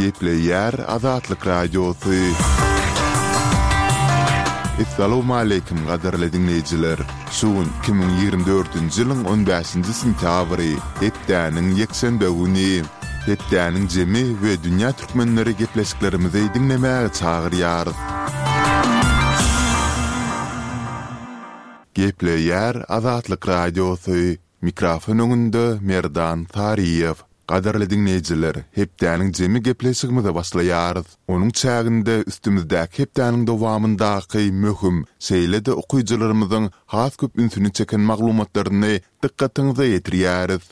Gepleýär Azatlyk Radiosy. Essalawmaleýkim gadyrly diňleýjiler! Şu gün 2024-nji ýylyň on bäşinji sentýabry, hepdäniň ýekşenbe güni. Hepdäniň jemi we dünýä türkmenleri gepleşiklerimizi diňlemäge çagyrýarys. Gepleýär Azatlyk Radiosy, Mikrofon öňünde Merdan Saryýew. Gadyrly diňleýjiler, hepdäniň jemi gepleşigimize başlaýarys. Onuň çäginde üstümizdäki hepdäniň dowamyndaky möhüm, şeýle-de okyjylarymyzyň has köp ünsüni çeken maglumatlaryny dykgatyňyza ýetirýäris.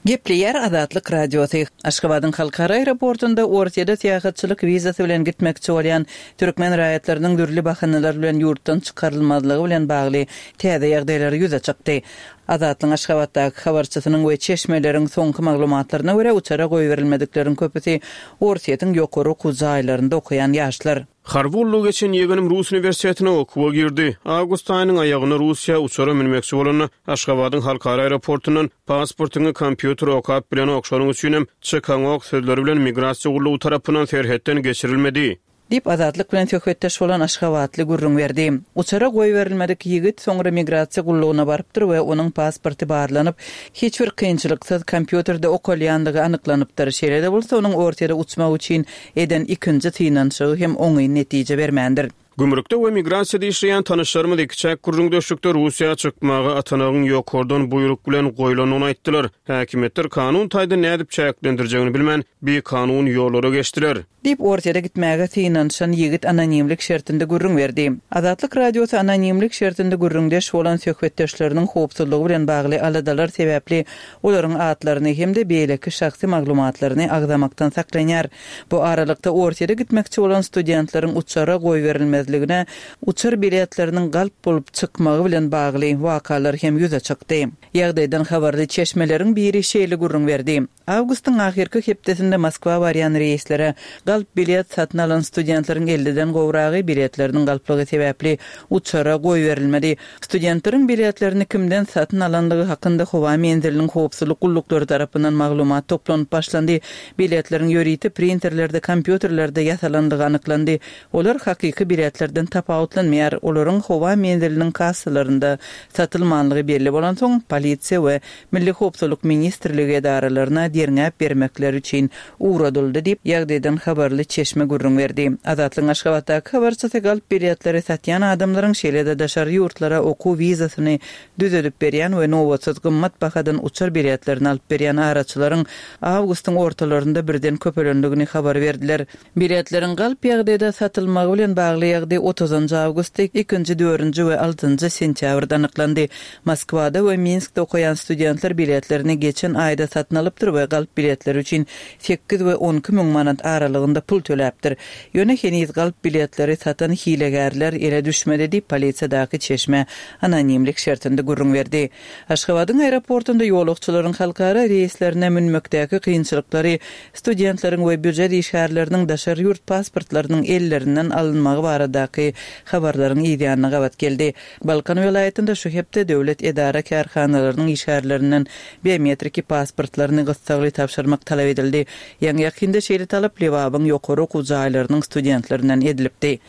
Gepleýär Azatlyk Radiosy. Aşgabadyň halkara aeroportunda Orsýede syýahatçylyk wizasy bilen gitmekçi bolýan türkmen raýatlarynyň dürli bahanalar bilen ýurtdan çykarylmazlygy bilen bagly täze ýagdaýlar ýüze çykdy. Azatlygyň Aşgabatdaky habarçysynyň we çeşmeleriň soňky maglumatlaryna görä, uçara goýberilmedikleriň köpüsi Orsýetiň ýokary okuw jaýlarynda okaýan ýaşlar. Harby gullugy geçen ýegenim rus uniwersitetine okuwa girdi. Awgust aýynyň aýagynda Russiýa uçara münmekçi bolanda, Aşgabadyň halkara aeroportundan Pasportyňy kompýuter okap bilenok, şonuň üçinem çykaňok sözleri bilen migrasiýa gullugy tarapyndan serhetden geçirilmedi. Diýip, Azatlyk bilen söhbetdeş bolan aşgabatly gürrüň berdi. Uçara goýberilmedik ýigit soňra migrasiýa gullugyna barypdyr we onuň pasporty barlanyp, hiç bir kynçylyksyz kompýuterde okalýandygy anyklanypdyr. Şeýle-de bolsa, onuň Orsýere uçmak üçin eden ikinji synanyşygy hem oňyn netije bermändir. Gümrükde we migrasiýada işleýän tanyşlarymyz ikiçäk gürrüňdeşlikde Russiýa çykmaga atanagyň ýokardan buýruk bilen goýlandygyny aýtdylar. Häkimiýetler kanun taýdan nädip çäklendirjegini bilmän, bikanun ýollara geçdiler. Diýip, Orsýete gitmäge synanyşan ýigit anonimlik şertinde gürrüň berdi. Azatlyk Radiosy anonimlik şertinde gürrüňdeş bolan söhbetdeşleriniň howpsuzlygy bilen bagly aladalar sebäpli olaryň atlaryny hem-de beýleki şahsy maglumatlaryny agzamakdan saklanýar. Bu aralykda, Orsýete gitmekçi bolan studentleriň uçara goýberilmezligine uçar biletleriniň galp bolup çykmagy bilen bagly wakalar hem ýüze çykdy. Ýagdaýdan habarly çeşmeleriň biri şeýle gürrüň berdi, Awgustyň ahyrky hepdesinde Moskwa barýan reýslere galp bilet satyn alan studentleriň elliden gowragy biletleriniň galplygy sebäpli uçara goýberilmedi. Studentleriň biletlerini kimden satyn alandygy hakynda howa menziliniň howpsuzlyk gulluklary tarapyndan maglumat toplanyp başlandy. Biletleriň ýörite printerlerde, kompýuterlerde ýasalandygy anyklandy. Olar hakyky biletlerden tapawutlanmaýar. Olaryň howa menziliniň kassalarynda satylmanlygy belli bolansoň, polisiýa we Milli howpsuzlyk ministrligi edaralaryna derňäp bermekleri üçin ugradyldy diýip, ýagdaýdan habarly çeşme gürrüň berdi. Azatlygyň Aşgabatdaky habarçysy galp biletleri satýan adamlaryň, şeýle-de daşary ýurtlara okuw wizasyny düzedip berýän we nobatsyz gymmat bahadan uçar biletlerini alyp berýän araçylaryň awgustyň ortalarynda birden köpelendigini habar berdiler. Biletleriň galp ýagdaýda satylmagy bilen bagly ýagdaý otuzynjy awgustda, ikinji, dördünji we altynjy sentýabrda anyklandy. Moskwada we Minskde okaýan studentler biletlerini geçen aýda satyn alypdyr we galp biletleri üçin sekiz we 12 müň manat aralygynda pul töläpdir. Ýöne heniz galp biletleri satan hilegärler ele düşmedi diýip, polisiýadaky çeşme anonimlik şertinde gürrüň berdi. Aşgabadyň aeroportunda ýolagçylaryň halkara reýslerine münmekdäki kynçylyklary Studentleriň we býujet işgärleriniň daşary ýurt pasportlarynyň ellerinden alynmagy baradaky habarlaryň yzýanyna gabat geldi. Balkan welaýatynda şu hepde döwlet edara-kärhanalarynyň işgärlerinden biometriki pasportlaryny gyssagly tabşyrmak talap edildi. Ýaňy-ýakynda şeýle talap Lebabyň ýokary okuw jaýlarynyň studentlerinden edilipdi.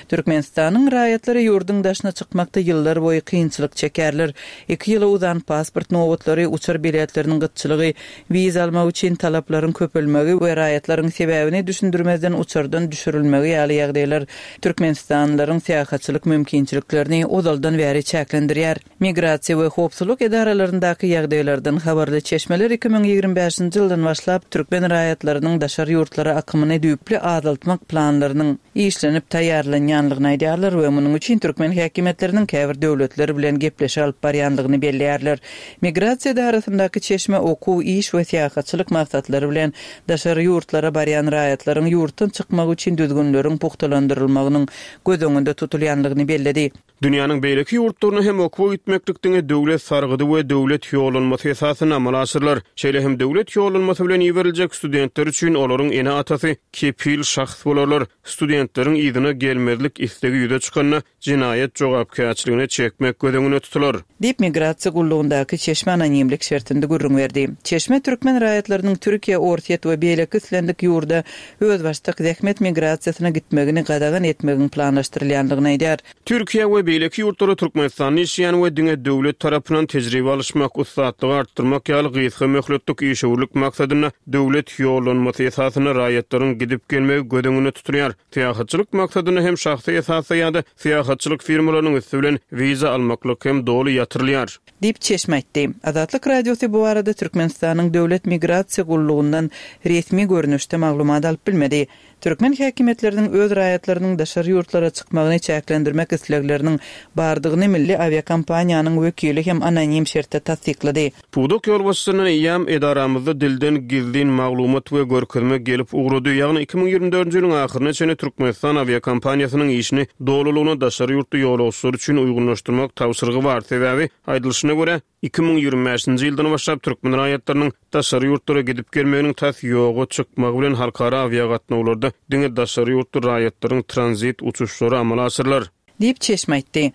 Türkmenistanyň raýatlary ýurduň daşyna çykmakda ýyllar boýy kynçylyk çekýärler. Iki ýyla uzan pasport nobatlary, uçar biletleriniň gytçylygy, Wiza almak üçin talaplaryň köpelmegi we raýatlaryň sebäbini düşündirmezden uçardan düşürilmegi ýaly ýagdaýlar türkmenistanlylaryň syýahatçylyk mümkinçiliklerini ozaldan bäri çäklendirýär. Migrasiýa we howpsuzlyk edaralaryndaky ýagdaýlardan habarly çeşmeler 2025-nji ýyldan başlap türkmen raýatlarynyň daşary ýurtlara akymyny düýpli azaltmak planlarynyň işlenip taýýarlanýanlygyny aýdýarlar we munuň üçin türkmen häkimiýetleriniň käbir döwletler bilen gepleşik alyp barýanlygyny belleýärler. Migrasiýa edarasyndaky çeşme okuw, iş we syýahatçylyk maksatlary bilen daşary ýurtlara barýan raýatlaryň ýurtdan çykmagy üçin düzgünleriň pugtalandyrylmagynyň göz öňünde tutulýanlygyny belledi. Dünýäniň beýleki ýurtlaryna hem okuwa gitmeklik diňe döwlet sargydy we döwlet ýollanmasy esasynda amala aşyrylar. Şeýle hem döwlet ýollanmasy bilen iberiljek studentler üçin olaryň ene-atasy kepil şahs bolarlar. Studentleriň yzyna gelmezlik islegi ýüze çykanda, jenaýat jogapkärçiligine çekmek göz öňünde tutular. Diýip, migrasiýa gullugyndaky çeşme anonimlik şertinde gürrüň berdi. Çeşme türkmen raýatlarynyň Türkiýe, Orsýet we beýleki islendik ýurda özbaşdak zähmet migrasiýasyna gitmegini gadagan etmegiň planlaşdyrylýandygyny aýdýar. Türkiýä we beýleki ýurtlara Türkmenistanda işleýän we diňe döwlet tarapyndan tejribe alyşmak, ussatlygy artdyrmak ýaly gysga möhletlik işewürlik maksadynda döwlet ýollanmasy esasynda raýatlaryň gidip-gelmegi göz öňünde tutulýar. Syýahatçylyk maksadynda hem şahsy esasda ýa-da syýahatçylyk firmalarynyň üsti bilen wiza almaklyk hem doly ýatyrylýar. Diýip, çeşme aýtdy. Azatlyk Radiosy bu barada Türkmenistanyň Döwlet migrasiýa gullugyndan resmi görnüşde maglumat alyp bilmedi. Türkmen häkimiýetleriniň öz raýatlarynyň daşary ýurtlara çykmagyny çäklendirmek islegleriniň bardygyny milli awiakompaniýanyň wekili hem anonim şertde tassyklady. Pudak ýolbaşçysyndan eýýäm edaramyzda dilden gizlin maglumat we görkezme gelip ugrady, ýagny 2024-nji ýylyň ahyryna çenli Türkmenistan awiakompaniýasynyň işini dolulygyna daşary ýurtly ýolagçylar üçin uýgunlaşdyrmak tabşyrygy bar, sebäbi, aýdylyşyna görä, 2025-nji ýyldan başlap türkmen raýatlarynyň daşary ýurtlara gidip gelmeginiň tas ýoga çykmagy bilen halkara awiagatnawlarda diňe daşary ýurtly raýatlaryň tranzit uçuşlary amala aşyrylar. Diýip, çeşme aýtdy.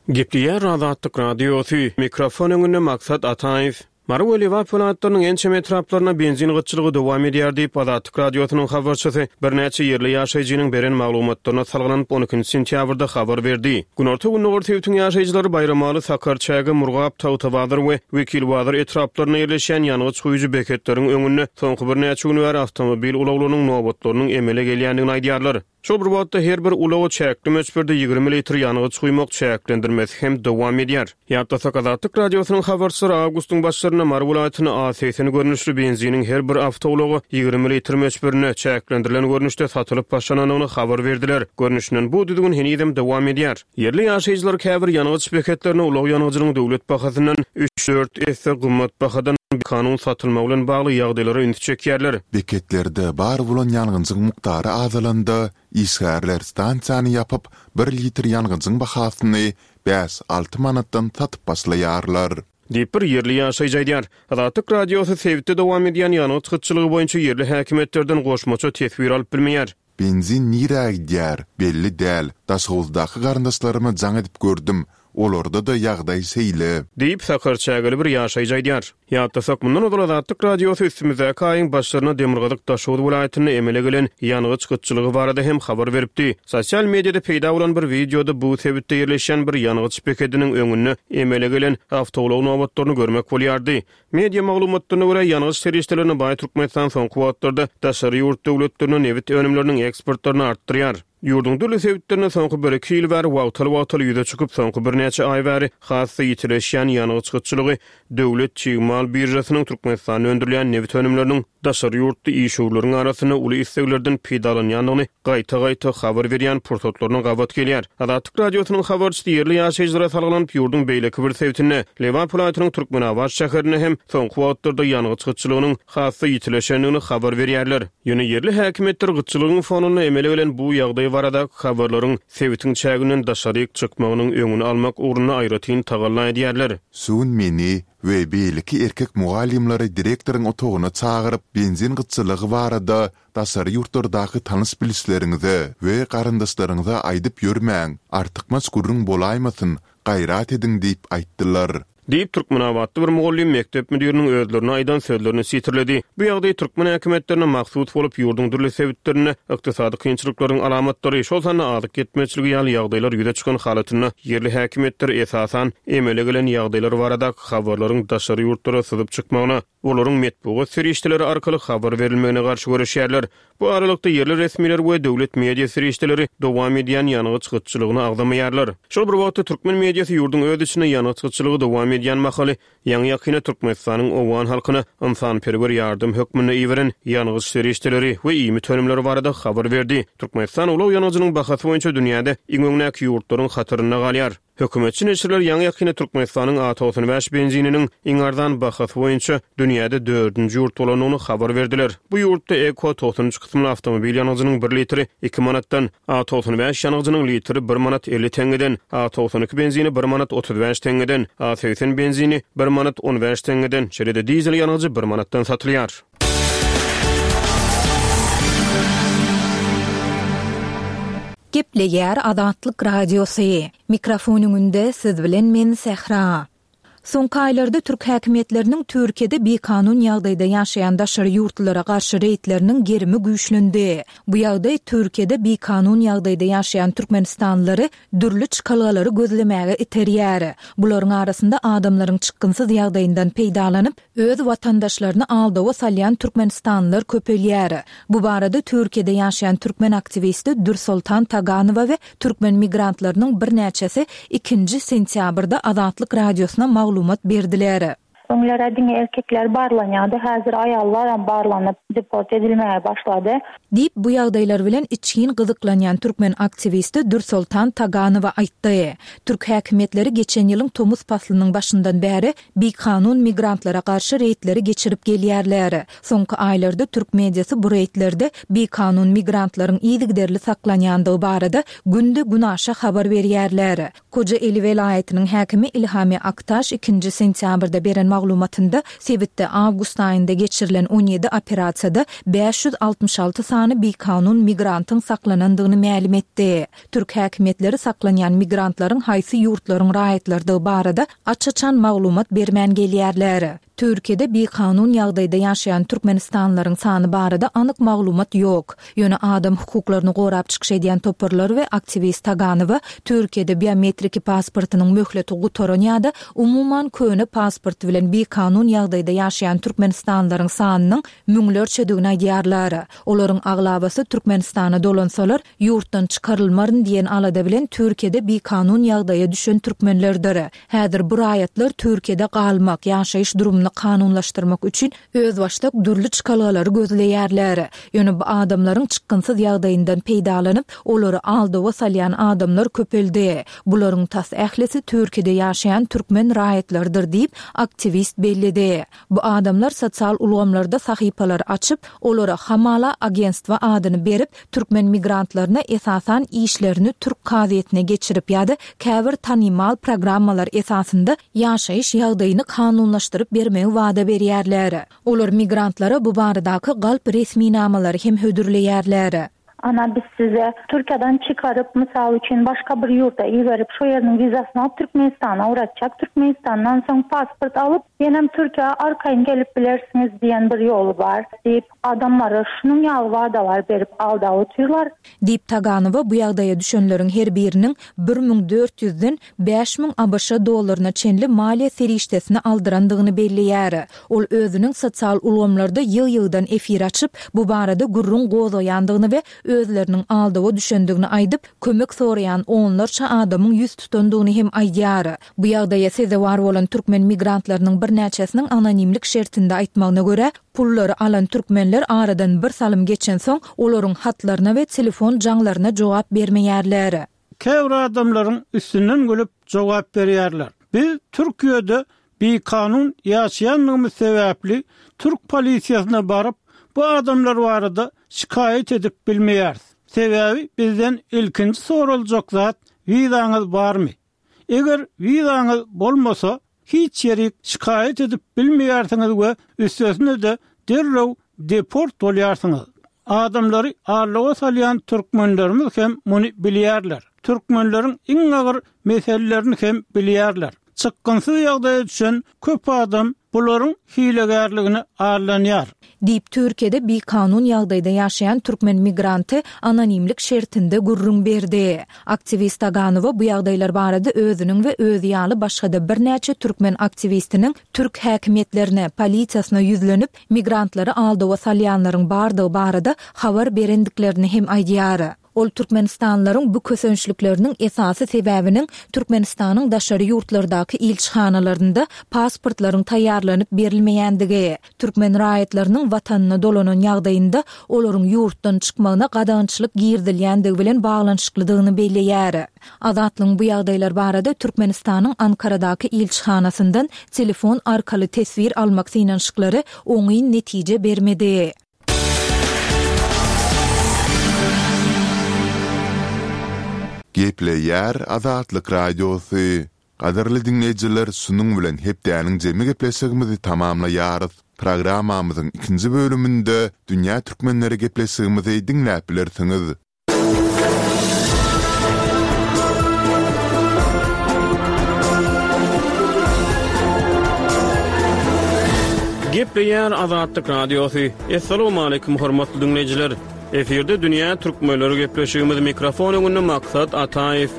Gepleýär Azatlyk Radiosy, mikrofon öňünde Maksat Ataýew. Mary we Lebap welaýatlarynyň ençeme etraplarynda benzin gytçylygy dowam edýär diýip, Azatlyk Radiosynyň habarçysy birnäçe ýerli ýaşaýjynyň beren maglumatlaryna salgylanyp, on ikinji sentýabrda habar berdi. Günorta-gündogar sebitiň ýaşaýjylary Baýramaly, Sakarçäge, Murgap, Tagtabazar we Wekilbazar etraplarynda ýerleşýän ýangyç guýujy beketleriň öňünde soňky birnäçe gün bäri awtomobil ulaglarynyň nobatlarynyň emele gelýändigini aýdýarlar. Şol bir wagtda, her bir ulaga çäkli möçberde 20 litr ýangyç guýmak çäklendirmesi hem dowam edýär. Ýatlasak, Azatlyk Radiosynyň habarçylary awgustyň başlarynda Mary welaýatynda A 80 görnüşli benziniň her bir awtoulaga 20 litr möçberinde, çäklendirilen görnüşde satylyp başlanandygyny habar berdiler. Görnüşinden, bu düzgün henizem dowam edýär. Ýerli ýaşaýjylar käbir ýangyç beketlerinde ulag ýangyjynyň döwlet bahasyndan üç-dört esse gymmat bahadan bikanun satylmagy bilen bagly ýagdaýlara ünsi çekýärler. Beketlerde bar bolan ýangyjyň mukdary azalanda, işgärler stansiýany ýapyp, bir litr ýangyjyň bahasyny bäş-alty manatdan satyp başlaýarlar. Diýip, bir ýerli ýaşaýjy aýdýar. Azatlyk Radiosy sebitde dowam edýän ýangyç gytçylygy boýunça ýerli häkimiýetlerden goşmaça teswir alyp bilmeýär. Benzin nirä gidýär, belli däl. Daşhowuzdaky garyndaşlaryma jaň edip gördüm, olarda-da ýagdaý şeýle. Diýip, sakarçägeli bir ýaşaýjy aýdýar. Ýatlasak, mundan ozal Azatlyk Radiosy üstümizdäki aýyň başlarynda demirgazyk Daşoguz welaýatynda emele gelen ýangyç gytçylygy barada hem habar beripdi. Sosial mediada peýda bolan bir wideoda bu sebitde ýerleşýän bir ýangyç bekediniň öňünde emele gelen awtoulag nobatlaryny görmek bolýardy. Media maglumatlaryna görä, ýangyç serişdelerine baý Türkmenistan soňky wagtlarda daşary ýurt döwletlerine nebit önümleriniň eksportlaryny artdyrýar. Ýurduň dürli sebitlerinde soňky bir-iki ýyl bäri wagtal-wagtal ýüze çykyp, soňky birnäçe aý bäri has-da ýitileşýän ýangyç gytçylygy döwlet çig mal biržasynyň Türkmenistanda öndürilýän nebit önümleriniň daşary ýurtly işewürleriň arasynda uly isleglerden peýdalanýandygyny gaýta-gaýta habar berýän pursatlaryna gabat gelýär. Azatlyk Radiosynyň habarçysy ýerli ýaşaýjylara salgylanyp, ýurduň beýleki bir sebitinde, Lebap welaýatynyň Türkmenabat şäherinde hem soňky wagtlarda ýangyç gytçylygynyň has-da ýitileşendigini habar berýärler. Ýöne ýerli häkimiýetler gytçylygyň fonunda emele gelen bu ýagdaý baradaky habarlaryň sebitiň çäginden daşaryk çykmagynyň öňüni almak ugrunda aýratyn tagalla edýärler. Şu gün meni we beýleki erkek mugallymlary direktoryň otagyna çagyryp, benzin gytçylygy barada daşary ýurtlardaky tanyş-bilişleriňize we garyndaşlaryňyza aýdyp ýörmäň, artykmaç gürrüň bolaýmasyn, gaýrat ediň diýip aýtdylar. Diýip, türkmenabatly bir mugallym mekdep müdiriniň özlerine aýdan sözlerini sitirledi. Bu ýagdaý türkmen häkimiýetlerine mahsus bolup, ýurduň dürli sebitlerinde ykdysady kynçylyklaryň alamatlary, şol sanda azyk ýetmezçiligi ýaly ýagdaýlar ýüze çykan halatynda ýerli häkimiýetler esasan emele gelen ýagdaýlar baradaky habarlaryň daşary ýurtlara syzyp çykmagyna, olaryň metbugat serişdeleri arkaly habar berilmegine garşy göreşýärler. Bu aralykda, ýerli resmiler we döwlet media serişdeleri dowam edýän ýangyç gytçylygyny agzamaýarlar. Şol bir wagtda, türkmen mediasy ýurduň öz içinde ýangyç gytçylygy dowam edýän mahaly, ýaňy-ýakynda Türkmenistanyň owgan halkyna ynsanperwer ýardam hökmünde iberen ýangyç serişdeleri we iýmit önümleri barada habar berdi. Türkmenistan ulag ýangyjynyň bahasy boýunça dünýäde iň öňdäki ýurtlaryň hatarynda galýar. Hökümetçi neşirler ýaňy-ýakynda Türkmenistanyň A 95 benzininiň iň arzan bahasy boýunça dünýäde dördünji ýurt bolandygyny habar berdiler. Bu ýurtda Eko 93 kysymly awtomobil ýangyjynyň bir litri iki manatdan, A 95 ýangyjynyň litri bir manat 50 teňňeden, A 92 benzini bir manat 35 teňňeden, A 80 benzini bir manat 15 teňňeden, şeýle-de dizel ýangyjy bir manatdan satylýar. Gepleýär Azatlyk Radiosy. Mikrofon öňünde siz bilen men Sähra. Soňky aýlarda türk häkimiýetleriniň Türkiýede bikanun ýagdaýda ýaşaýan daşary ýurtlulara garşy reýdleriniň gerimi güýçlendi. Bu ýagdaý Türkiýede bikanun ýagdaýda ýaşaýan türkmenistanlylary dürli çykalgalary gözlemäge iterýär. Bularyň arasynda adamlaryň çykgynsyz ýagdaýyndan peýdalanyp, öz watandaşlaryny aldawa salýan türkmenistanlylar köpelýär. Bu barada Türkiýede ýaşaýan türkmen aktiwisti Dürsoltan Taganowa we türkmen migrantlarynyň birnäçesi ikinji sentýabrda Azatlyk Radiosyna maglumat berdiler. Öňler-ä diňe erkekler barlanýardy, häzir aýallaram barlanyp, deport edilmäge başlady. Diýip, bu ýagdaýlar bilen içgin gyzyklanýan türkmen aktiwisti Dürsoltan Taganowa aýtdy. Türk häkimiýetleri geçen ýylyň tomus paslynyň başyndan bäri bikanun migrantlara garşy reýdleri geçirip gelýärler. Soňky aýlarda türk mediasy bu reýdlerde bikanun migrantlaryň yzygiderli saklanýandygy barada günde-günaşa habar berýärler. Kojaeli welaýatynyň häkimi Ilhami Aktaş ikinji sentýabrda beren maglumatynda sebitde awgust aýynda geçirilen on ýedi operasiýada 566 sany bikanun migrantyň saklanandygyny mälim etdi. Türk häkimiýetleri saklanýan migrantlaryň haýsy ýurtlaryň raýatlarydygy barada aç-açan maglumat bermän gelýärler. Türkiýede bikanun ýagdaýda ýaşaýan türkmenistanlylaryň sany barada anyk maglumat ýok. Ýöne adam hukuklaryny gorap çykyş edýän toparlar we aktiwist Taganowa Türkiýede biometriki pasportynyň möhleti gutaran ýa-da umuman köne pasporty bilen bikanun ýagdaýda ýaşaýan türkmenistanlylaryň sanynyň müňlerçedigini aýdýarlar. Olaryň aglabasy Türkmenistana dolansalar, ýurtdan çykarylmaryn diýen alada bilen Türkiýede bikanun ýagdaýa düşen türkmenlerdir. Häzir bu raýatlar Türkiýede galmak, ýaşaýyş durumyny kanunlaşdyrmak üçin özbaşdak dürli çykalgalary gözleýärler. Ýöne bu adamlaryň çykgynsyz ýagdaýyndan peýdalanyp, olary aldawa salýan adamlar köpeldi. Bularyň tas ählisi Türkiýede ýaşaýan türkmen raýatlarydyr diýip, aktiwist belledi. Bu adamlar sosial ulgamlarda sahypalar açyp, olara hamala agentstwo adyny berip, türkmen migrantlaryna esasan işlerini türk kazyýetine geçirip ýa-da käbir tanymal programmalar esasynda ýaşaýyş ýagdaýyny kanunlaşdyryp bermegi wada berýärler. Olar migrantlara bu baradaky galp resminamalary hem hödürleýärler. Ana biz size Türkiýeden çykaryp mysal üçin başga bir ýurda iberip şo ýeriniň wizasyny alyp Türkmenistana ugratjak Türkmenistandan soň pasport alyp ýenem Türkiýä arkaýyn gelip bilersiňiz diýen bir ýoly bar diýip adamlara şunuň ýaly wadalar berip aldap otyrlar. Diýip Taganowa bu ýagdaýa düşenleriň her biriniň 1400 ýüzden 5000 ABŞ dollaryna çenli maliýe serişdesini aldyrandygyny belleýär. Ol özüniň sosial ulgamlarda ýygy-ýygydan efir açyp, bu barada gürrüň gozgaýandygyny we özleriniň aldawa düşendigini aýdyp, kömek soraýan onlarça adamyň ýüz tutandygyny hem aýdýar. Bu ýagdaýa sezewar bolan türkmen migrantlarynyň birnäçesiniň anonimlik şertinde aýtmagyna görä, pullary alan türkmenler aradan bir salym geçensoň, olaryň hatlaryna we telefon jaňlaryna jogap bermeýärler. Käbir adamlaryň üstünden gülüp jogap berýärler. Biz Türkiýede bikanun ýaşaýandygymyz sebäpli türk polisiýasyna baryp, bu adamlar barada şikaýat edip bilmeýäris. Sebäbi bizden ilkinji soraljak zat wizaňyz barmy? Eger wizaňyz bolmasa, hiç ýerik şikaýat edip bilmeýärsiňiz we üstesine-de derrew deport bolýarsyňyz. Adamlary aldawa salýan türkmenlerimiz hem muny bilýärler. Türkmenleriň iň agyr meselelerini hem bilýärler. Çykgynsyz ýagdaýa düşen köp adam bularyň hilegärligine aldanýar. Diýip, Türkiýede bikanun ýagdaýda ýaşaýan türkmen migranty anonimlik şertinde gürrüň berdi. Aktiwist Taganowa bu ýagdaýlar barada özüniň we özi ýaly başga-da birnäçe türkmen aktiwistiniň türk häkimiýetlerine, polisiýasyna ýüzlenip, migrantlary aldawa salýanlaryň bardygy barada habar berendiklerini hem aýdýar. Ol türkmenistanlylaryň bu kösençlikleriniň esasy sebäbiniň Türkmenistanyň daşary ýurtlardaky ilçihanalarynda pasportlaryň taýýarlanyp berilmeýändigi, türkmen raýatlarynyň watanyna dolanan ýagdaýynda olaryň ýurtdan çykmagyna gadagançylyk girizilýändigi bilen baglanyşyklydygyny belleýär. Azatlygyň bu ýagdaýlar barada Türkmenistanyň Ankaradaky ilçihanasyndan telefon arkaly teswir almak synanyşyklary oňyn netije bermedi. Gepleýär Azatlyk Radiosy. Gadyrly diňleýjiler şunuň bilen hepdäniň jemi gepleşigimizi tamamlaýarys. Programmamyzyň ikinji bölüminde Dünýä Türkmenleri gepleşigimizi diňläp bilersiňiz. Gepleýär Azatlyk Radiosy. Assalamualaikum hormatly diňleýjiler. Efirde dünýä türkmenleri gepleşigimiz mikrofon öňünde Maksat Ataýew.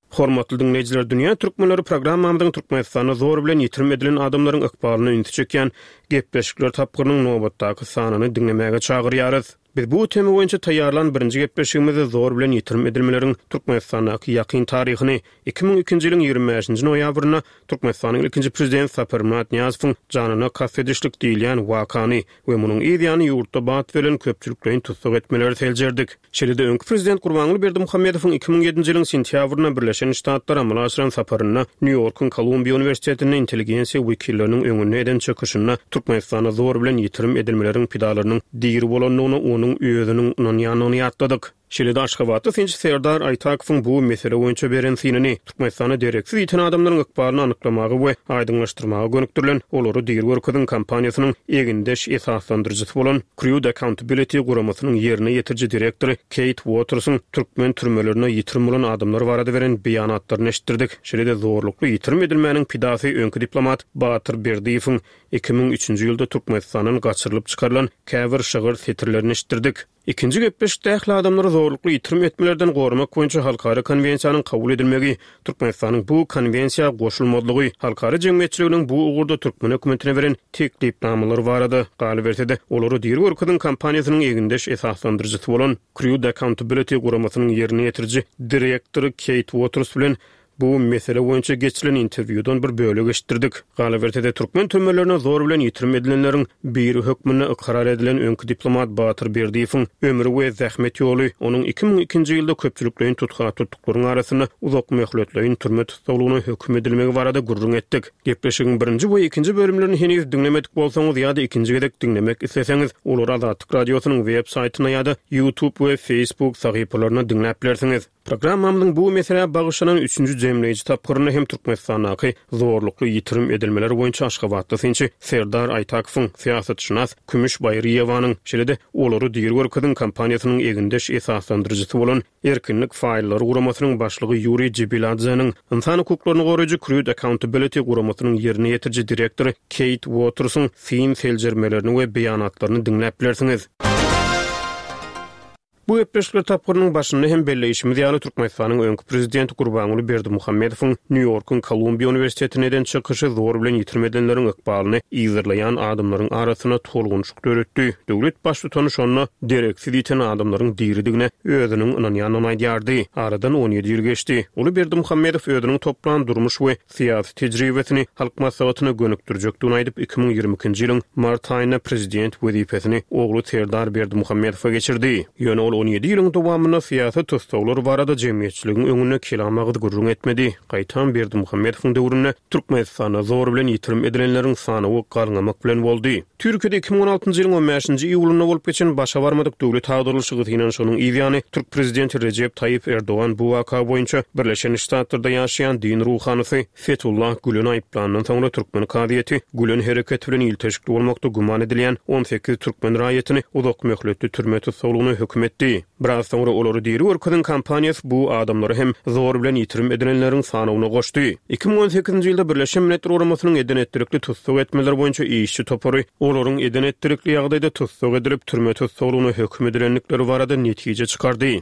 Hormatly diňleýjiler, Dünýä Türkmenleri programmamyzyň Türkmenistanda zor bilen ýitirim edilen adamlaryň ykbalyna ünsi çekýän gepleşikler tapgyrynyň nobatdaky sanyny diňlemäge çagyrýarys. Biz bu tema boýunça taýýarlan birinji gepleşigimizde zor bilen ýitirim edilmeleriň Türkmenistandaky ýakyn taryhyny, 2002-nji ýylyň 25-nji noýabrynda Türkmenistanyň ilkinji Prezidenti Saparmyrat Nyýazowyň janyna kast edişlik diýilýän wakany we munuň yz ýany ýurtda bat berlen köpçülikleýin tussag etmeleri seljerdik. Şeýle-de öňki prezident Gurbanguly Berdimuhamedowyň 2007-nji ýylyň sentýabrynda Birleşen Ştatlara amala aşyran saparynda Nýu-Ýorkuň Kolumbiýa uniwersitetinde intelligensiýa wekilleriniň öňünde eden çykyşynda Türkmenistanda zor bilen ýitirim edilmeleriň pidalarynyň diri bolandygyna onuň özüniň ynanýandygyny ýatladyk. Şeýle-de aşgabatly synçy Serdar Aýtakowyň bu mesele boýunça beren synyny, Türkmenistanda dereksiz ýiten adamlaryň ykbalyny anyklamaga we aýdyňlaşdyrmaga gönükdirilen Olary diri görkeziň kampaniýasynyň egindeş esaslandyryjysy bolan Crude Accountability guramasynyň ýerine ýetiriji direktory Keýt Uotersiň türkmen türmelerinde ýitirim bolan adamlar barada beren beýanatlaryny eşitdirdik. Şeýle-de zorlukly ýitirim edilmäniň pidasy öňki diplomat Batyr Berdiýewiň 2003-nji ýylda Türkmenistandan gaçyrylyp çykarylan käbir şygyr setirlerini eşitdirdik. Ikinji gepleşikde ähli adamlary zorlukly ýitirim etmelerden goramak boýunça halkara konwensiýanyň kabul edilmegi, Türkmenistanyň bu konwensiýa goşulmazlygy, halkara jemgyýetçiliginiň bu ugurda türkmen hökümetine beren teklipnamalary barada, galyberse-de, olary diri görkeziň kampaniýasynyň egindeş esaslandyryjysy bolan Crude Accountability guramasynyň ýerine ýetiriji direktory Keýt Uoters bilen Bu mesele boýunça geçirilen interwýudan bir bölek eşitdirdik. Galyberse-de, türkmen türmelerine zor bilen ýitirim edilenleriň biri hökmünde ykrar edilen öňki diplomat Batyr Berdiýewiň ömri we zähmet ýoly, onuň 2002-nji ýylda köpçülikleýin tutga tutduklaryň arasynda uzakmöhletleýin türme tussaglygyna höküm edilmegi barada gürrüň etdik. Gepleşigiň birinji we ikinji bölümlerini heniz diňlemedik bolsaňyz ýa-da ikinji gezek diňlemek isleseňiz, olary Azatlyk Radiosynyň web saýtynda ýa-da YouTube we Facebook sahypalarynda diňläp bilersiňiz. Programmamyzyň bu meselä bagyşlanan üçünji jemleýji tapgyrynda hem Türkmenistandaky zorlukly ýitirim edilmeler boýunça aşgabatly synçy Serdar Aýtakowyň, syýasatşynas Kümüş Baýryýewanyň, şeýle-de Olary diri görkeziň kampaniýasynyň egindeş esaslandyryjysy bolan Erkinlik faýllary guramasynyň başlygy Ýuriý Jibiladzeniň, ynsan hukuklaryny goraýjy Crude Accountability guramasynyň ýerine ýetiriji direktory Keýt Uotersiň syn-seljermelerini we beýanatlaryny diňläp bilersiňiz. Bu gepleşikler tapgyrynyň başynda hem belleýşimiz ýaly, Türkmenistanyň öňki prezidenti Gurbanguly Berdimuhamedowyň Nýu-Ýorkuň Kolumbiýa uniwersitetinde eden çykyşy zor bilen ýitirim edilenleriň ykbalyny yzarlaýan adamlaryň arasynda tolgunyşyk döretdi. Döwlet baştutany şonda dereksiz ýiten adamlaryň diridigine özüniň ynanýandygyny aýdýardy. Aradan 17 ýyl geçdi. Uly Berdimuhamedow özüniň toplan durmuş we syýasy tejribesini Halk Maslahatyna gönükdirjekdigini aýdyp, 2022-nji ýylyň mart aýynda prezident wezipesini ogly Serdar Berdimuhamedowa geçirdi. Ýöne ol on ýedi ýylyň dowamynda syýasy tussaglar barada jemgyýetçiligiň öňünde kelam agyz gürrüň etmedi. Gaýtam Berdimuhamedowyň döwründe Türkmenistanda zor bilen ýitirim edilenleriň sanawy galňamak bilen boldy. Türkiýede 2016-njy ýylyň on bäşinji iýulynda bolup geçen başa barmadyk döwlet agdarylyşygy synanyşygynyň yz ýany, türk prezidenti Rejep Taýyp Erdogan bu waka boýunça Birleşen Ştatlarda ýaşaýan din ruhanysy Fetullah Güleni aýyplandan soňra türkmen kazyýeti Gülen hereketi bilen ilteşikli bolmakda güman edilýän 18 türkmen raýatyny uzak möhletli türme tussaglygyna höküm etdi. Biraz soňra olary diri görkeziň kampaniýasy bu adamlary hem zor bilen ýitirim edilenleriň sanawyna goşdy. 2018-nji ýylda Birleşen Milletler Guramasynyň eden-etdilikli tussag etmeler boýunça işçi topary olaryň eden-etdilikli ýagdaýda tussag edilip, türme tussaglygyna höküm edilendikleri barada netije çykardy.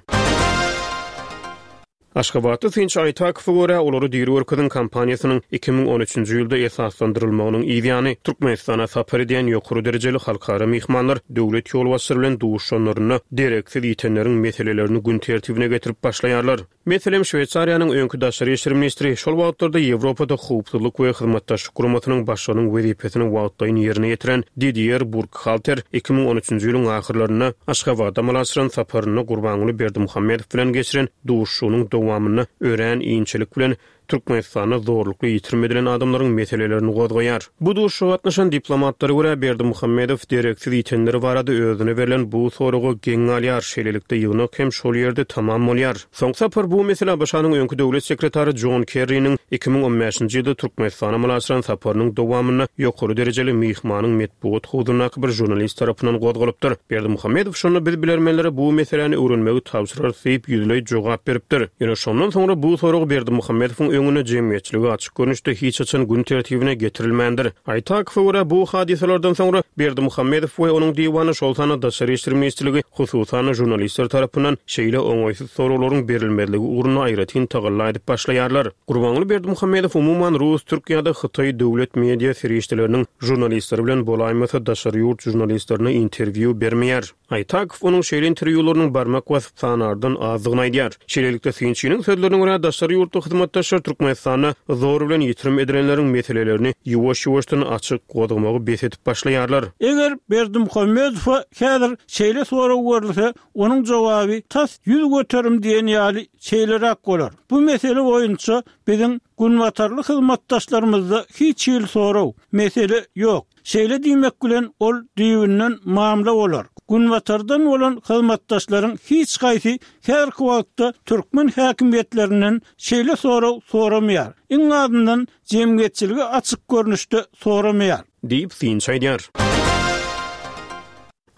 Aşgabatly synçy Aýtakowa görä, olary diri görkeziň kampaniýasynyň 2013-nji ýylda esaslandyrylmagynyň yz ýany, Türkmenistana sapar edýän ýokary derejeli halkara myhmanlar döwlet ýolbaşçylary bilen duşuşanlarynda dereksiz ýitenleriň meselelerini gün tertibine getirip başlaýarlar. Meselem, Şweýsariýanyň öňki daşary işler ministri, şol wagtlarda Ýewropada Howpsuzlyk we Hyzmatdaşlyk Guramasynyň başlygynyň wezipesini wagtlaýyn ýerine ýetiren Didier Burkhalter 2013-nji ýylyň ahyrlarynda Aşgabada amala aşyran saparynda Gurbanguly Berdimuhamedow bilen geçiren duşuşygynyň dowamynda örän inçelik bilen Türkmenistanda zorlukly ýitirim edilen adamlaryň meselelerini gozgaýar. Bu duşuşyga gatnaşan diplomatlara görä, Berdimuhamedow dereksiz ýitenler barada özüne berlen bu soraga geň galýar, şeýlelikde ýygnak hem şol ýerde tamam bolýar. Soňky sapar bu mesele ABŞ-nyň öňki döwlet sekretary Jon Kerriniň 2015-nji ýylda Türkmenistana amala aşyran saparynyň dowamynda ýokary derejeli myhmanyň metbugat howzundaky bir žurnalist tarapyndan gozgalypdyr. Berdimuhamedow şonda biz bilermenlere bu meseläni öwrenmegi tabşyrarys diýip, ýüzleý jogap beripdir. Ýöne şondan soňra bu sorag Berdimuhamedowyň öňünde jemgyýetçilige açyk görnüşde hiç haçan gün tertibine getirilmändir. Aýtakowa görä, bu hadysalardan soňra Berdimuhamedow we onuň diwany, şol sanda Daşary işler ministrligi, hususan-da žurnalistler tarapyndan şeýle oňaýsyz soraglaryň berilmezligi ugrunda aýratyn tagalla edip başlaýarlar. Gurbanguly Berdimuhamedow umuman rus, türk ýa-da hytaý döwlet media serişdeleriniň žurnalistleri bilen bolaýmasa daşary ýurt žurnalistlerine interwýu bermeýär. Aýtakow onuň şeýle interwýularynyň barmak basyp sanardan azdygyny aýdýar. Şeýlelikde, synçynyň sözlerine görä, daşary ýurtly hyzmatdaşlar Türkmenistanda zor bilen ýitirim edilenleriň meselelerini ýuwaş-ýuwaşdan açyk gozgamagy bes edip başlaýarlar. Eger Berdimuhamedowa häzir şeýle sorag berilse, onuň jogaby tas 100% diýen ýaly şeýleräk bolar, Bu mesele boýunça biziň günbatarly hyzmatdaşlarymyzda hiç hili sorag, mesele ýok. Şeýle diýmek bilen, ol düýbünden mamla bolar. Günbatardan bolan hyzmatdaşlaryň hiç haýsy häzirki wagtda türkmen häkimiýetlerinden şeýle sorag soramaýar, iň azyndan jemgyýetçilige açyk görnüşde soramaýar. Diýip, synçy aýdýar.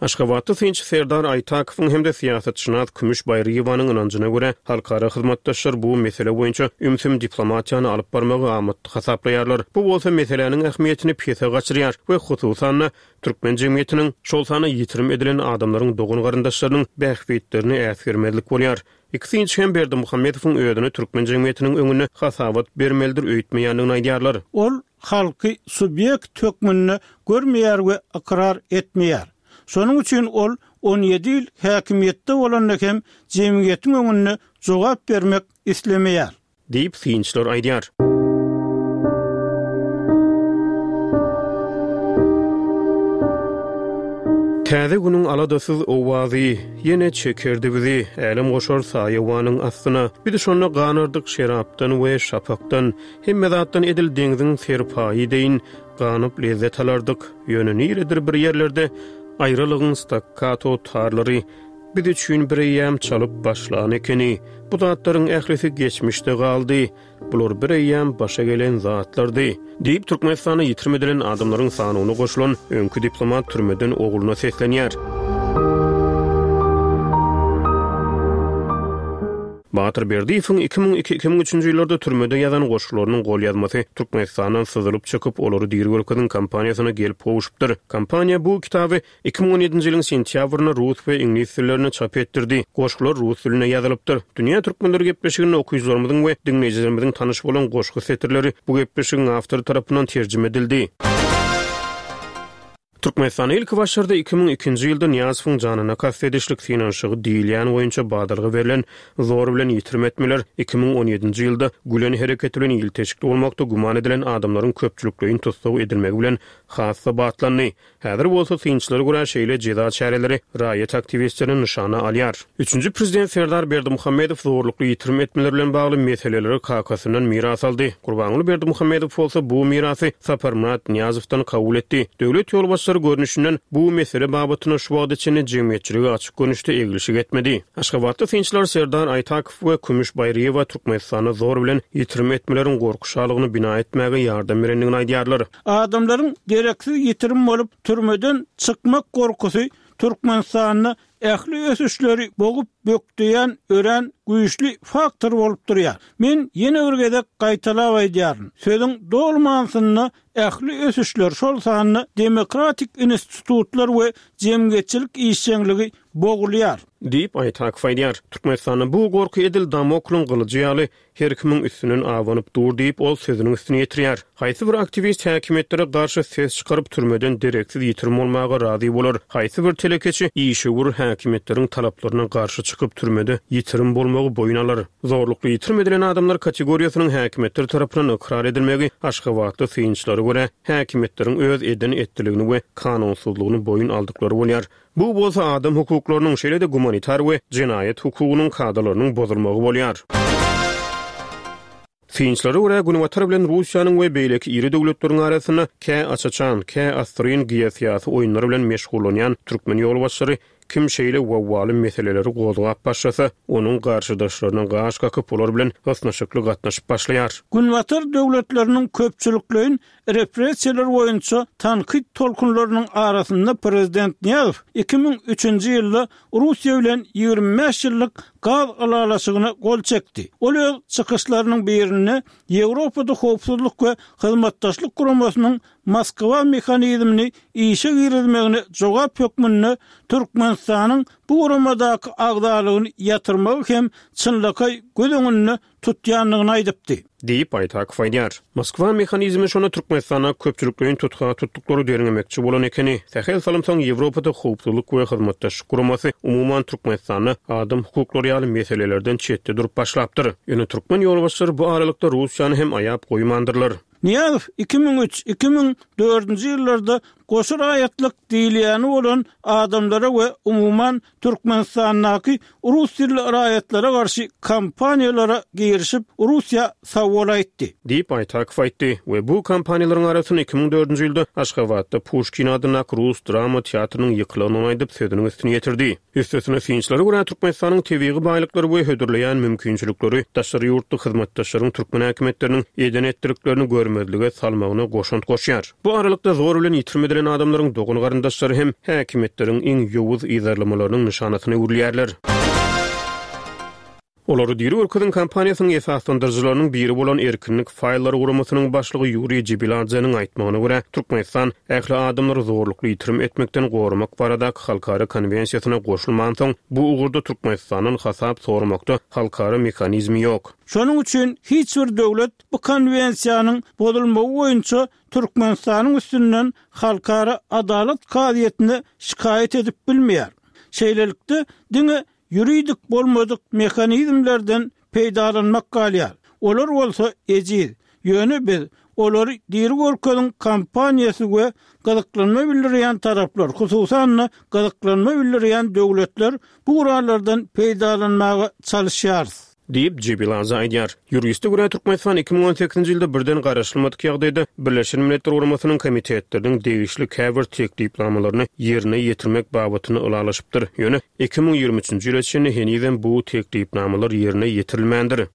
Aşgabatda synçy Serdar Aýtakowyň hem-de syýasatşynas Kümüş Baýryýewanyň ynanjyna görä, halkara hyzmatdaşlar bu mesele boýunça ümsüm diplomatiýany alyp barmagy amatly hasaplaýarlar. Bu bolsa meseläniň ähmiýetini pese gaçyrýar we hususan-da, türkmen jemgyýetiniň, şol sanda ýitirim edilen adamlaryň dogan-garyndaşlarynyň bähbitlerini äsgermezlik bolýar. Iki synçy hem Berdimuhamedowyň özüne türkmen jemgyýetiniň öňünde hasabat bermelidir öýtmeýändigini aýdýarlar. Ol halky subýekt hökmünde görmeýär we ykrar etmeýär. Şonuň üçin ol on ýedi ýyl häkimiýetde bolanda hem jemgyýetiň öňünde jogap bermek islemeýär. Diýip, synçylar aýdýar. Täze günüň aladasyz owazy Ýene çekerdi bizi Älemgoşar saýawanyň astyna. Biz şonda ganardyk şerapdan we şapakdan, Hemme zatdan edil deňziň serpaýy deýin ganyp lezzet alardyk. Ýöne niredir bir ýerlerde aýralygyň stakkato tarlary biz üçin bireýýäm çalyp başlan ekeni. Bu zatlaryň ählisi geçmişde galdy. Bular bireýýäm başa gelen zatlardy. Diýip, Türkmenistanda ýitirim edilen adamlaryň sanawyna goşulan öňki diplomat türmeden ogluna seslenýär. Batyr Berdiýewiň 2002, 2003-nji ýyllarda türmede ýazan goşgularynyň golýazmasy Türkmenistandan syzylyp çykyp, olary diri görkeziň kampaniýasyna gelip gowşupdyr. Kampaniýa bu kitaby 2017-nji ýylyň sentýabrynda rus we iňlis dillerinde çap etdirdi. Goşgular rus dilinde ýazylypdyr. Dünýä türkmenleri gepleşiginde okyjylarymyzyň we diňleýjilerimiziň tanyş bolan goşgy setirleri bu gepleşigiň awtory tarapyndan terjime edildi. Türkmenistanda ilki başlarda 2002-nji ýylda Nyýazowyň janyna kast edişlik synanyşygy diýilýän boýunça badalga berlen zor bilen ýitirim etmeler 2017-nji ýylda Gülen hereketi bilen ilteşikli bolmakda güman edilen adamlaryň köpçülikleýin tussag edilmegi bilen has-da batlandy. Häzir bolsa synçylara görä şeýle jeza çäreleri raýat aktiwistlerini nyşana alýar. Üçünji prezident Serdar Berdimuhamedow zorlukly ýitirim etmeler bilen bagly meseleleri kakasyndan miras aldy. Gurbanguly Berdimuhamedow bolsa bu mirasy Saparmyrat Nyýazowdan kabul etdi. Döwlet ýolbaşçylary görnüşinden bu mesele babatynda şu wagta çenli jemgyýetçilige açyk görnüşde eglişik etmedi. Aşgabatda synçylar Serdar Aýtakow we Kümüş Baýryýewa Türkmenistanda zor bilen ýitirim etmeleriň gorky şalygyny bina etmäge ýardam berendigini aýdýarlar. Adamlaryň dereksiz ýitirim bolup, türmeden çykmak gorkusy Türkmenistanda ähli ösüşleri bogup bökdeýän örän güýçli faktor bolup durýar. Men ýene bir gezek gaýtalap aýdýaryn, sözüň doly manysynda ähli ösüşler, şol sanda demokratik institutlar we jemgyýetçilik işjeňligi. bogulýar. Diýip, Aýtakow aýdýar. Türkmenistanda bu gorky edil Damoklyň gylyjy ýaly her kimiň üstünden abanyp dur diýip, ol sözüniň üstüni ýetirýär. Haýsy bir aktiwist häkimiýetlere garşy ses çykaryp, türmeden dereksiz ýitirim bolmaga razy bolar? Haýsy bir telekeçi, işewür häkimiýetleriň talaplaryna garşy çykyp, türmede ýitirim bolmagy boýun alar? Zorlukly ýitirim edilen adamlar kategoriýasynyň häkimiýetler tarapyndan ykrar edilmegi aşgabatly synçylara görä, häkimiýetleriň öz eden-etdiligini we kanunsyzlygyny boýun aldyklary bolýar. Bu bolsa adam hukuklarynyň, şeýle-de gumanitar we jenaýat hukugynyň kadalarynyň bozulmagy bolýar. Synçylara görä, Günbatar bilen Russiýanyň we beýleki iri döwletleriň arasynda kä aç-açan, kä assyryn geosyýasy oýunlar bilen meşgullanýan türkmen ýolbaşçylary kim şeýle wawwaly meseleleri gozgap başlasa, onuň garşydaşlaryna gaş kakyp, olar bilen ysnyşykly gatnaşyp başlaýar. Günbatar döwletleriniň köpçülikleýin Repressiýalar boýunça tankyt tolkunlarynyň arasynda prezident Nyýazow 2003-nji ýylda Russiýa bilen 25 ýyllyk gaz ylalaşygyna gol çekdi. Ol öz çykyşlarynyň birinde Ýewropada Howpsuzlyk we Hyzmatdaşlyk Guramasynyň Moskwa mehanizmini işe girizmegine jogap hökmünde Türkmenistanyň bu guramadaky agzalygyny ýatyrmagy hem çynlakaý göz öňünde tutýandygyny aýdypdy. Diýip, Aýtakow aýdýar. Moskwa mehanizmi şonda Türkmenistanda köpçülikleýin tutga tutduklary derňemekçi bolan ekeni. Sähel salym soň Ýewropada Howpsuzlyk we Hyzmatdaşlyk Guramasy umuman Türkmenistanda adam hukuklary ýaly meselelerden çetde durup başlapdyr. Ýöne türkmen ýolbaşçylary bu aralykda Russiýany hem aýap goýmandyrlar. Nyýazow 2003, 2004-nji ýyllarda goşa raýatlyk diýilýäni bolan adamlara we umuman Türkmenistandaky rus dilli raýatlara garşy kampaniýalara girişip, Russiýa sag bol aýtdy. Diýip, Aýtakow aýtdy we bu kampaniýalaryň arasynda 2004-nji ýylda Aşgabatda Puşkin adyndaky rus drama teatrynyň ýykylandygyny aýdyp, sözüniň üstüni ýetirdi. Üstesine, synçylara görä, Türkmenistanyň tebigy baýlyklary we hödürleýän mümkinçilikleri daşary ýurtly hyzmatdaşlaryň türkmen häkimiýetleriniň eden-etdiliklerini görmezlige salmagyna goşant goşýar. Bu aralykda, zor bilen ýitirim edilen adamlaryň dogan-garyndaşlary hem häkimiýetleriň iň ýowuz yzarlamalarynyň nyşanasyna öwrülýärler. Olary diri görkeziň kampaniýasynyň esaslandyryjylarynyň biri bolan Erkinlik faýllary guramasynyň başlygy Ýuriý Jibiladzeniň aýtmagyna görä, Türkmenistan ähli adamlary zorlukly ýitirim etmekden goramak baradaky halkara konwensiýasyna goşulmansoň, bu ugurda Türkmenistandan hasap soramakda halkara mehanizmi ýok. Şonuň üçin hiç bir döwlet bu konwensiýanyň bozulmagy boýunça Türkmenistanyň üstünden Halkara adalat kazyýetine şikaýat edip bilmeýär. Şeýlelikde, diňe Ýuridik bolmadyk mehanizmlerden peýdalanmak galýar. Olar bolsa ejiz. Ýöne biz, olary diri görkeziň kampaniýasy we gyzyklanma bildirýän taraplar, hususan-da, gyzyklanma bildirýän döwletler bu gurallardan peýdalanmaga çalyşýarys. Diýip, Jebilaza aýdýar. Ýuriste görä, Türkmenistan 2018-nji ýylda birden garaşylmadyk ýagdaýda Birleşen Milletler Guramasynyň komitetleriniň degişli käbir teklipnamalaryny ýerine ýetirmek babatynda ylalaşypdyr. Ýöne 2023-nji ýyla çenli henizem bu teklipnamalar ýerine ýetirilmändir.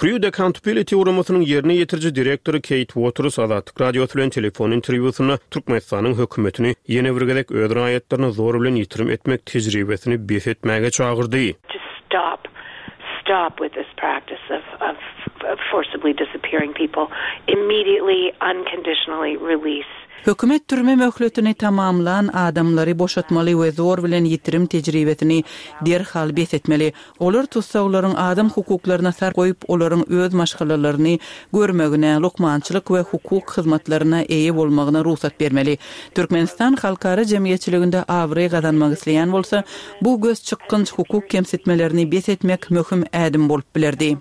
Crude Accountability guramasynyň ýerine ýetiriji direktory Keýt Uoters Azatlyk Radiosy bilen telefon interwýusynda Türkmenistanyň hökümetini ýene bir gezek öz raýatlaryny zor bilen ýitirim etmek tejribesini bes etmäge çagyrdy. To stop, stop with this practice of of forcibly disappearing people, immediately, unconditionally release. Hökümet türme möhletini tamamlan adamlary boşatmaly we zor bilen ýitirim tejribesini derhal bes etmeli. Olar tussaglaryň adam hukuklaryna sarp goýup, olaryň öz maşgalalaryny görmegine, lukmançylyk we hukuk hyzmatlaryna eýe bolmagyna rugsat bermeli. Türkmenistan halkara jemgyýetçiliginde abraý gazanmak isleýän bolsa, bu gözçykgynç hukuk kemsitmelerini bes etmek möhüm ädim bolup bilerdi.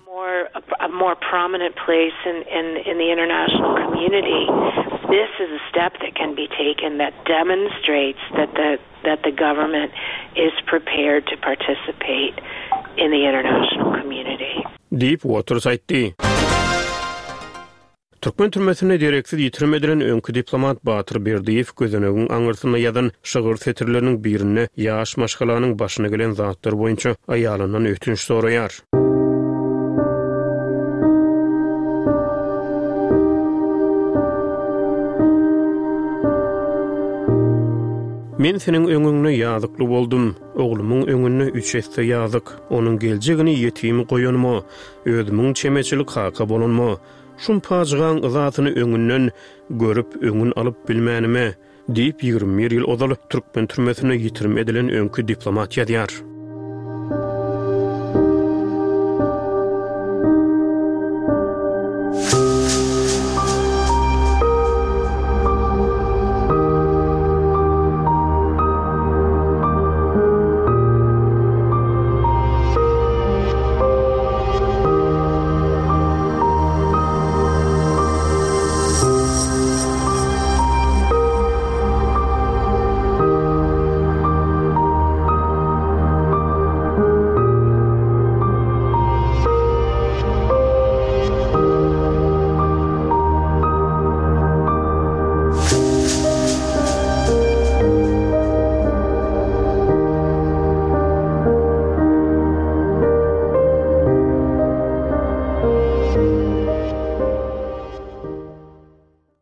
that the government is prepared to participate in the international community. Diýip, Uoters aýtdy. Türkmen türmesinde dereksiz ýitirim edilen öňki diplomat Batyr Berdiýew gözenegiň aňyrsynda ýazan şygyr setirleriniň birinde ýaş maşgalanyň başyna gelen zatlar boýunça aýalyndan ötünç soraýar. Men seniň öňüňde ýazykly boldum, oglumyň öňünde üç esse ýazyk, onuň geljegini ýetim goýanyma, özümiň çemeçil kaka bolanyma, şum pajygaň yzasyny öňünden görüp, öňün alyp bilmänime. Diýip, 21 ýyl ozal türkmen türmesinde ýitirim edilen öňki diplomat ýazýar.